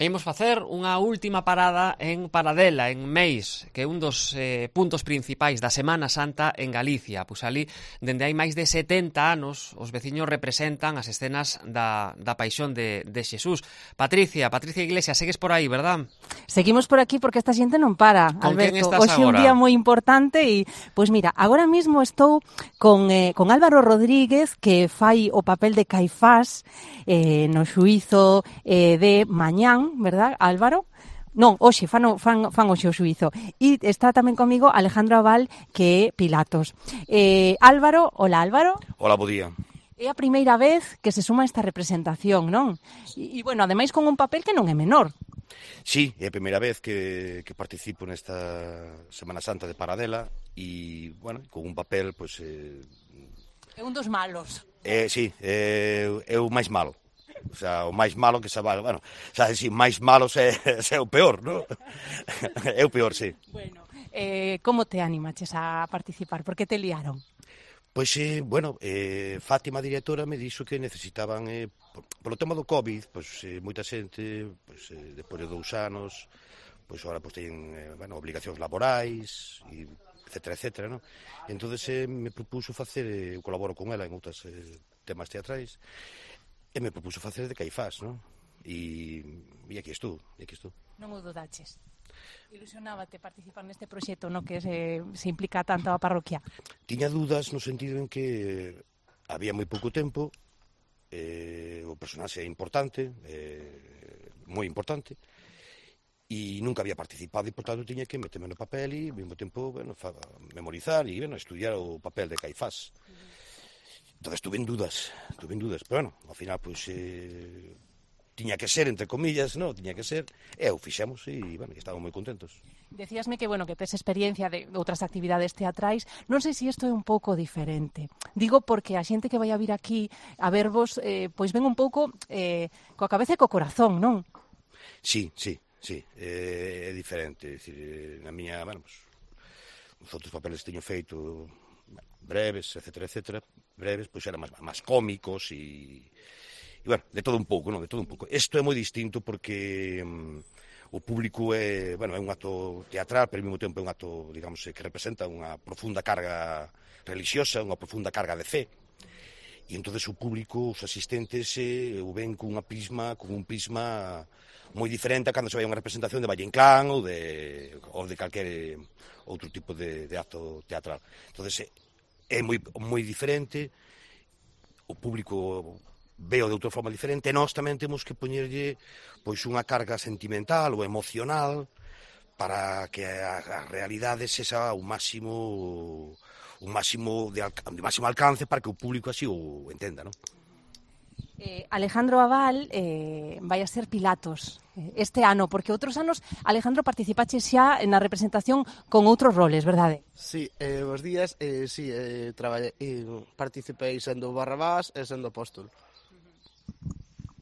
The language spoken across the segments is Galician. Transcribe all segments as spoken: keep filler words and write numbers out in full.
E imos facer unha última parada en Paradela, en Meis, que é un dos eh, puntos principais da Semana Santa en Galicia. Pois ali, dende hai máis de setenta anos, os veciños representan as escenas da, da Paixón de, de Xesús. Patricia, Patricia Iglesias, segues por aí, verdad? Seguimos por aquí porque esta xente non para, Con Alberto. quen estás Hoxe é un agora? día moi importante e, pois mira, agora mesmo estou con, eh, con Álvaro Rodríguez, que fai o papel de Caifás eh, no xuízo eh, de mañán, verdad, Álvaro? Non, hoxe, fan, fan, fan hoxe o xuízo. E está tamén comigo Alejandro Abal, que é Pilatos. Eh, Álvaro, hola Álvaro. Hola, bo día. É a primeira vez que se suma a esta representación, non? E, e bueno, ademais con un papel que non é menor. Sí, é a primeira vez que, que participo nesta Semana Santa de Paradela e, bueno, con un papel, pois... Eh, é un dos malos. Eh, sí, é, é o máis malo. O sea, o máis malo que se vale, bueno, xa, si, máis malo é, é o peor, non? É o peor, sí. Bueno, eh, como te animaches a participar? Por que te liaron? Pois, eh, bueno, eh, Fátima, a directora, me dixo que necesitaban, eh, polo tema do COVID, pois, eh, moita xente, pois, eh, depois de dous anos, pois, agora, pois, teñen, eh, bueno, obligacións laborais, e etcétera, etcétera, non? E entón, eh, me propuso facer, eh, eu colaboro con ela en outros eh, temas teatrais, e me propuso facer de Caifás, non? E, e aquí estou, e aquí estou. Non o dudaches? Ilusionábate participar neste proxecto no que se, se implica tanto a parroquia? Tiña dúdas no sentido en que había moi pouco tempo, eh, o personaxe é importante, eh, moi importante, e nunca había participado e, por tanto, tiña que meterme no papel e, ao mesmo tempo, bueno, fa, memorizar e, bueno, estudiar o papel de Caifás. Uh-huh. Entón, estuve en dudas, estuve en dudas, pero, bueno, ao final, pois, eh, tiña que ser, entre comillas, non? Tiña que ser, e o fixemos, e, bueno, estamos moi contentos. Decíasme que, bueno, que tes experiencia de outras actividades teatrais. Non sei se isto é un pouco diferente. Digo porque a xente que vai a vir aquí a vervos, eh, pois ven un pouco eh, coa cabeza e co corazón, non? Sí, sí, sí, eh, é diferente. É dicir, na miña, bueno, pues, os outros papeles que teño feito, breves, etcétera, etcétera, breves, pois eran máis, máis cómicos e, e, bueno, de todo un pouco, non? De todo un pouco. Isto é moi distinto porque um, o público é, bueno, é un acto teatral, pero ao mesmo tempo é un acto, digamos, que representa unha profunda carga religiosa, unha profunda carga de fe. E entonces o público, os asistentes, eh, o ven cunha prisma, con un prisma moi diferente a cando se vai a unha representación de Valle Inclán ou de, ou de calquer outro tipo de, de acto teatral. Entonces, é moi, moi diferente, o público veo de outra forma diferente, e nós tamén temos que poñerlle pois unha carga sentimental ou emocional para que a, a realidade sexa o máximo un máximo de, de máximo alcance para que o público así o entenda, non? Eh, Alejandro Abal eh, vai a ser Pilatos este ano, porque outros anos, Alejandro, participache xa na representación con outros roles, verdade? Sí, eh, os días, eh, sí, eh, traballei, eh, participei sendo Barrabás e sendo Apóstol.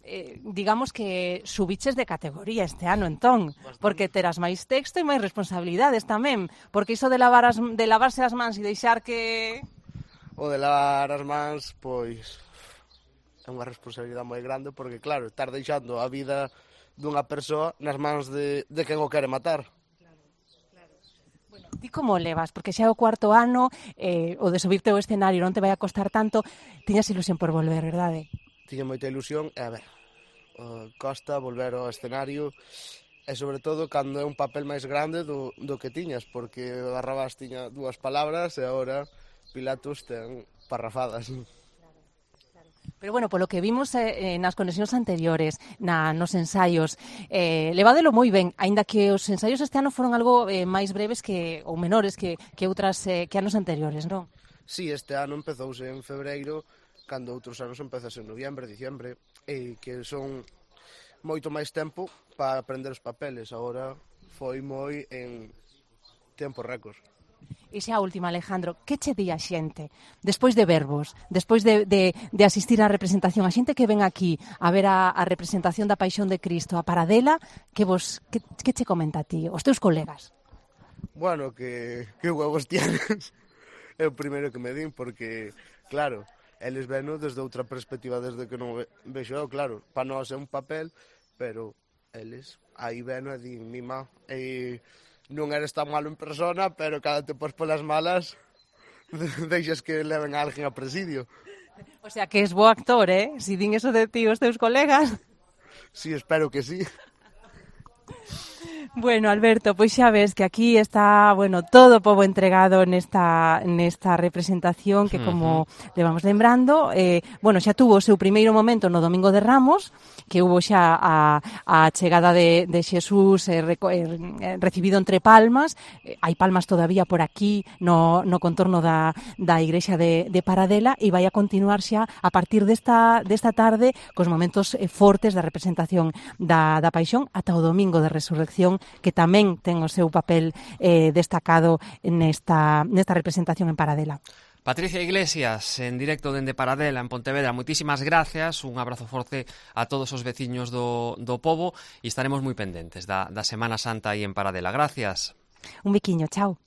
Eh, digamos que subiches de categoría este ano, entón, porque terás máis texto e máis responsabilidades tamén, porque iso de, lavar as, de lavarse as mans e deixar que... O de lavar as mans, pois, é unha responsabilidade moi grande, porque, claro, estar deixando a vida dunha persoa nas mans de, de quen o quere matar. Ti como levas? Porque xa é o cuarto ano, eh, o de subirte ao escenario non te vai a costar tanto, tiñas ilusión por volver, verdade? Tiña moita ilusión, e a ver, uh, costa volver ao escenario, e sobre todo cando é un papel máis grande do, do que tiñas, porque Barrabás tiña dúas palabras e agora Pilatos ten parrafadas. Pero bueno, polo que vimos eh, nas conexións anteriores, na, nos ensaios, eh, levádelo moi ben, aínda que os ensaios este ano foron algo eh, máis breves que ou menores que, que outras eh, que anos anteriores, non? Sí, este ano empezouse en febreiro, cando outros anos empezase en noviembre, diciembre, e que son moito máis tempo para aprender os papeles. Agora foi moi en tempo récord. E xa a última, Alejandro, que che di a xente? Despois de verbos, despois de, de, de asistir á representación, a xente que ven aquí a ver a, a representación da Paixón de Cristo, a Paradela, que vos que, que che comenta a ti, os teus colegas? Bueno, que, que huevos tienes, é o primeiro que me din, porque, claro, eles veno desde outra perspectiva, desde que non ve, vexo eu, claro, para nós é un papel, pero eles, aí veno e din, mima, e non eres tan malo en persona, pero cada te pos polas malas, deixas que leven a alguén a presidio. O sea, que es bo actor, eh? Si din eso de ti os teus colegas. Sí, espero que sí. Bueno, Alberto, pois xa ves que aquí está, bueno, todo o pobo entregado nesta nesta representación que, como uh-huh. levamos lembrando, eh, bueno, xa tuvo o seu primeiro momento no Domingo de Ramos, que hubo xa a, a chegada de, de Xesús eh, reco, eh, recibido entre palmas. Eh, hai palmas todavía por aquí no, no contorno da, da igrexa de, de Paradela, e vai a continuar xa a partir desta, desta tarde cos momentos eh, fortes da representación da, da Paixón ata o Domingo de Resurrección, que tamén ten o seu papel eh, destacado nesta, nesta representación en Paradela. Patricia Iglesias, en directo dende Paradela, en Pontevedra, moitísimas gracias, un abrazo forte a todos os veciños do, do pobo, e estaremos moi pendentes da, da Semana Santa aí en Paradela. Gracias. Un biquiño, chao.